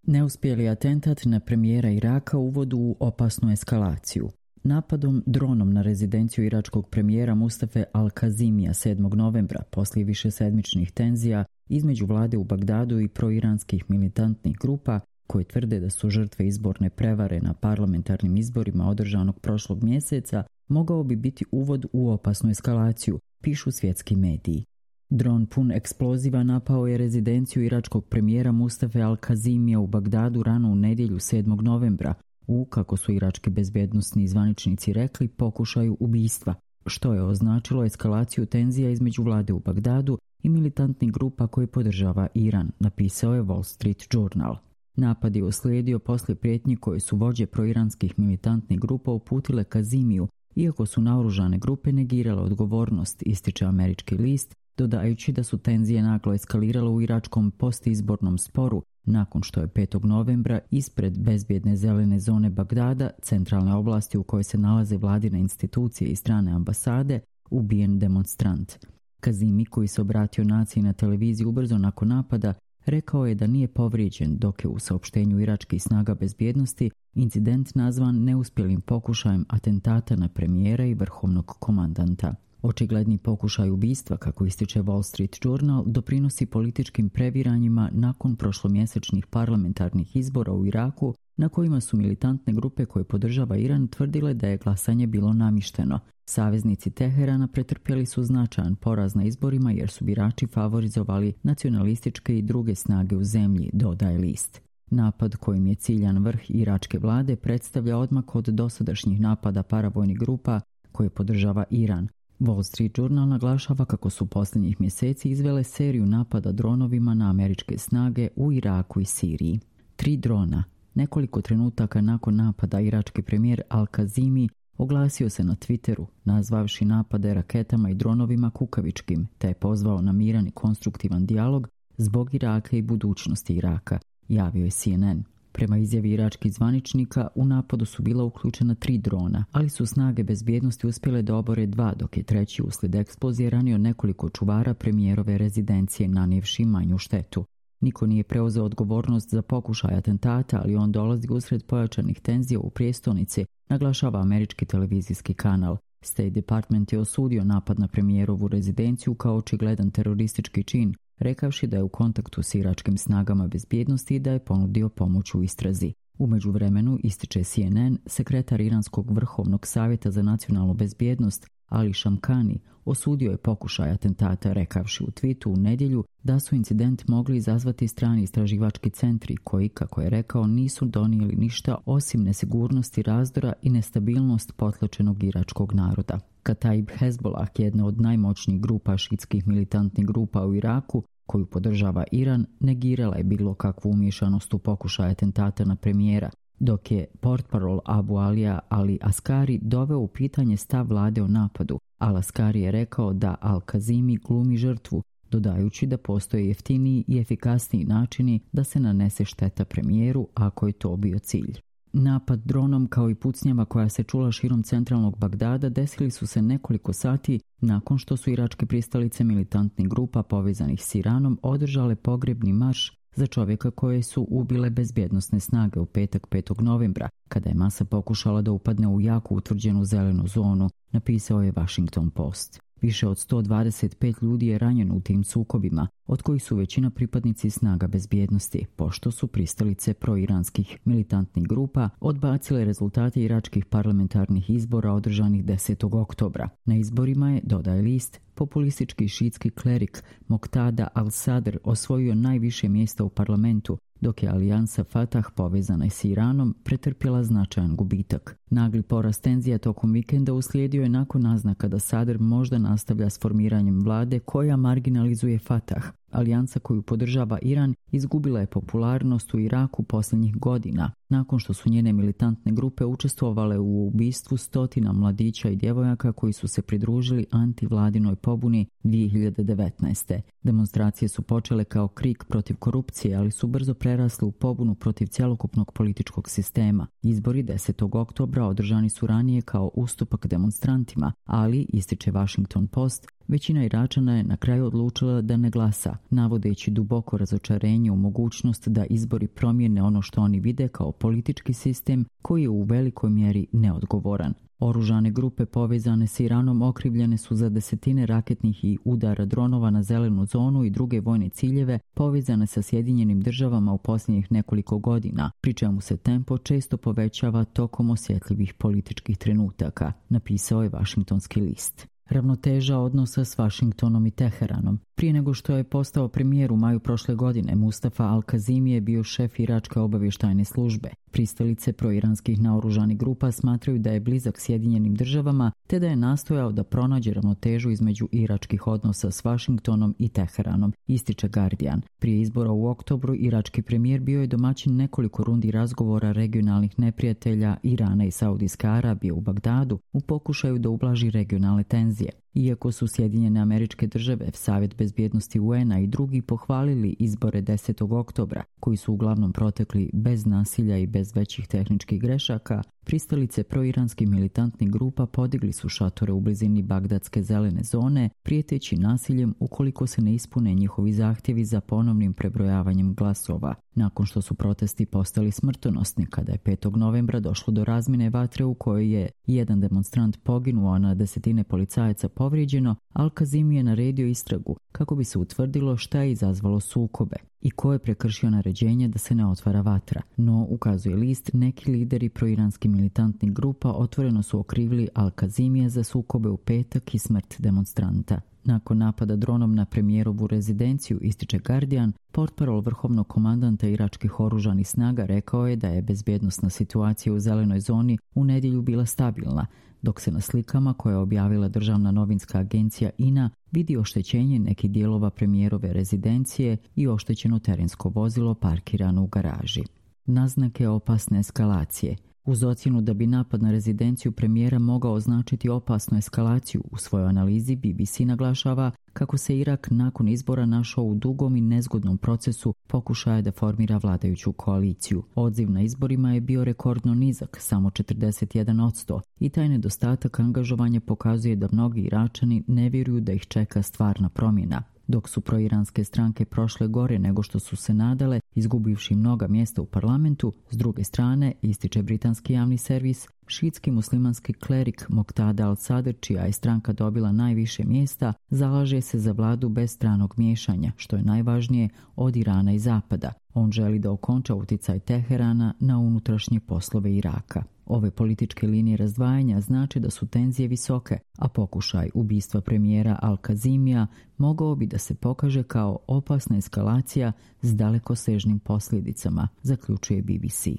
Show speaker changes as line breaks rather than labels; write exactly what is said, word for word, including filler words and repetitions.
Neuspjeli atentat na premijera Iraka uvodi u opasnu eskalaciju. Napadom dronom na rezidenciju iračkog premijera Mustafe Al-Kazimija sedmog novembra, poslije višesedmičnih tenzija između vlade u Bagdadu i proiranskih militantnih grupa koje tvrde da su žrtve izborne prevare na parlamentarnim izborima održanog prošlog mjeseca, mogao bi biti uvod u opasnu eskalaciju, pišu svjetski mediji. Dron pun eksploziva napao je rezidenciju iračkog premijera Mustafe Al-Kazimija u Bagdadu rano u nedjelju sedmog novembra u, kako su irački bezbjednosni zvaničnici rekli, pokušaju ubistva, što je označilo eskalaciju tenzija između vlade u Bagdadu i militantnih grupa koje podržava Iran, napisao je Wall Street Journal. Napad je uslijedio poslije prijetnji koje su vođe proiranskih militantnih grupa uputile Kazimiju, iako su naoružane grupe negirale odgovornost, ističe američki list, dodajući da su tenzije naglo eskalirale u iračkom postizbornom sporu nakon što je petog novembra ispred bezbjedne zelene zone Bagdada, centralne oblasti u kojoj se nalaze vladine institucije i strane ambasade, ubijen demonstrant. Kazimi, koji se obratio naciji na televiziji ubrzo nakon napada, rekao je da nije povrijeđen, dok je u saopštenju iračkih snaga bezbjednosti incident nazvan neuspjelim pokušajem atentata na premijera i vrhovnog komandanta. Očigledni pokušaj ubistva, kako ističe Wall Street Journal, doprinosi političkim previranjima nakon prošlomjesečnih parlamentarnih izbora u Iraku, na kojima su militantne grupe koje podržava Iran tvrdile da je glasanje bilo namišteno. Saveznici Teherana pretrpjeli su značajan poraz na izborima jer su birači favorizovali nacionalističke i druge snage u zemlji, dodaje list. Napad kojim je ciljan vrh iračke vlade predstavlja odmak od dosadašnjih napada paravojnih grupa koje podržava Iran. Wall Street Journal naglašava kako su posljednjih mjeseci izvele seriju napada dronovima na američke snage u Iraku i Siriji. Tri drona. Nekoliko trenutaka nakon napada irački premijer Al-Kazimi oglasio se na Twitteru, nazvavši napade raketama i dronovima kukavičkim, te je pozvao na miran i konstruktivan dijalog zbog Iraka i budućnosti Iraka, javio je C N N. Prema izjavi iračkih zvaničnika, u napadu su bila uključena tri drona, ali su snage bezbjednosti uspjele da obore dva, dok je treći uslijed eksplozije ranio nekoliko čuvara premijerove rezidencije, nanijevši manju štetu. Niko nije preuzeo odgovornost za pokušaj atentata, ali on dolazi usred pojačanih tenzija u prijestolnici, naglašava američki televizijski kanal. State Department je osudio napad na premijerovu rezidenciju kao očigledan teroristički čin, rekavši da je u kontaktu s iračkim snagama bezbjednosti i da je ponudio pomoć u istrazi. U međuvremenu, ističe C N N, sekretar Iranskog vrhovnog savjeta za nacionalnu bezbjednost Ali Shamkhani osudio je pokušaj atentata, rekavši u tweetu u nedjelju da su incident mogli izazvati strani istraživački centri koji, kako je rekao, nisu donijeli ništa osim nesigurnosti, razdora i nestabilnost potlačenog iračkog naroda. Kataib Hezbollah, jedna od najmoćnijih grupa šitskih militantnih grupa u Iraku, koju podržava Iran, negirala je bilo kakvu umiješanost u pokušaj atentata na premijera, dok je portparol Abu Alija Ali Askari doveo u pitanje stav vlade o napadu. Al Askari je rekao da Al-Kazimi glumi žrtvu, dodajući da postoje jeftiniji i efikasniji načini da se nanese šteta premijeru ako je to bio cilj. Napad dronom kao i pucnjava koja se čula širom centralnog Bagdada desili su se nekoliko sati nakon što su iračke pristalice militantnih grupa povezanih s Iranom održale pogrebni marš za čovjeka koje su ubile bezbjednosne snage u petak petog novembra, kada je masa pokušala da upadne u jako utvrđenu zelenu zonu, napisao je Washington Post. Više od sto dvadeset pet ljudi je ranjeno u tim sukobima, od kojih su većina pripadnici snaga bezbjednosti, pošto su pristalice proiranskih militantnih grupa odbacile rezultate iračkih parlamentarnih izbora održanih desetog oktobra. Na izborima je, dodaje list, populistički šitski klerik Moqtada al-Sadr osvojio najviše mjesta u parlamentu, dok je alijansa Fatah povezana s Iranom pretrpjela značajan gubitak. Nagli porast tenzija tokom vikenda uslijedio je nakon naznaka da Sadr možda nastavlja s formiranjem vlade koja marginalizuje Fatah. Alijansa koju podržava Iran izgubila je popularnost u Iraku posljednjih godina, nakon što su njene militantne grupe učestvovale u ubistvu stotina mladića i djevojaka koji su se pridružili antivladinoj pobuni dvije hiljade devetnaeste. Demonstracije su počele kao krik protiv korupcije, ali su brzo prerasle u pobunu protiv cjelokupnog političkog sistema. Izbori desetog oktobra održani su ranije kao ustupak demonstrantima, ali, ističe Washington Post, većina Iračana je na kraju odlučila da ne glasa, navodeći duboko razočarenje u mogućnost da izbori promijene ono što oni vide kao politički sistem koji je u velikoj mjeri neodgovoran. Oružane grupe povezane s Iranom okrivljene su za desetine raketnih i udara dronova na zelenu zonu i druge vojne ciljeve povezane sa Sjedinjenim državama u posljednjih nekoliko godina, pri čemu se tempo često povećava tokom osjetljivih političkih trenutaka, napisao je Washingtonski list. Ravnoteža odnosa s Washingtonom i Teheranom. Prije nego što je postao premijer u maju prošle godine, Mustafa Al-Kazimi je bio šef iračke obavještajne službe. Pristalice proiranskih naoružanih grupa smatraju da je blizak Sjedinjenim državama, te da je nastojao da pronađe ravnotežu između iračkih odnosa s Washingtonom i Teheranom, ističe Guardian. Prije izbora u oktobru, irački premijer bio je domaćin nekoliko rundi razgovora regionalnih neprijatelja Irana i Saudijske Arabije u Bagdadu u pokušaju da ublaži regionalne tenzije. Iako su Sjedinjene Američke Države, Savjet bezbjednosti U N-a i drugi pohvalili izbore desetog oktobra, koji su uglavnom protekli bez nasilja i bez većih tehničkih grešaka, pristalice proiranskih militantnih grupa podigli su šatore u blizini Bagdadske zelene zone, prijeteći nasiljem ukoliko se ne ispune njihovi zahtjevi za ponovnim prebrojavanjem glasova. Nakon što su protesti postali smrtonosni, kada je petog novembra došlo do razmjene vatre u kojoj je jedan demonstrant poginuo, a na desetine policajaca povrijeđeno, Al-Kazimi je naredio istragu kako bi se utvrdilo šta je izazvalo sukobe i ko je prekršio naređenje da se ne otvara vatra. No, ukazuje list, neki lideri proiranskih militantnih grupa otvoreno su okrivili Al-Kazimija za sukobe u petak i smrt demonstranta. Nakon napada dronom na premijerovu rezidenciju, ističe Guardian, portparol vrhovnog komandanta iračkih oružanih snaga rekao je da je bezbjednosna situacija u zelenoj zoni u nedjelju bila stabilna, dok se na slikama koje je objavila državna novinska agencija I N A vidi oštećenje nekih dijelova premijerove rezidencije i oštećeno terensko vozilo parkirano u garaži. Naznake opasne eskalacije. Uz ocjenu da bi napad na rezidenciju premijera mogao označiti opasnu eskalaciju, u svojoj analizi B B C naglašava kako se Irak nakon izbora našao u dugom i nezgodnom procesu pokušaja da formira vladajuću koaliciju. Odziv na izborima je bio rekordno nizak, samo četrdeset jedan posto, i taj nedostatak angažovanja pokazuje da mnogi Iračani ne vjeruju da ih čeka stvarna promjena. Dok su proiranske stranke prošle gore nego što su se nadale, izgubivši mnoga mjesta u parlamentu, s druge strane, ističe britanski javni servis, šiitski muslimanski klerik Moqtada al-Sadr, čija je stranka dobila najviše mjesta, zalaže se za vladu bez stranog miješanja, što je najvažnije od Irana i Zapada. On želi da okonča utjecaj Teherana na unutrašnje poslove Iraka. Ove političke linije razdvajanja znači da su tenzije visoke, a pokušaj ubistva premijera Al-Kazimija mogao bi da se pokaže kao opasna eskalacija s dalekosežnim posljedicama, zaključuje B B C.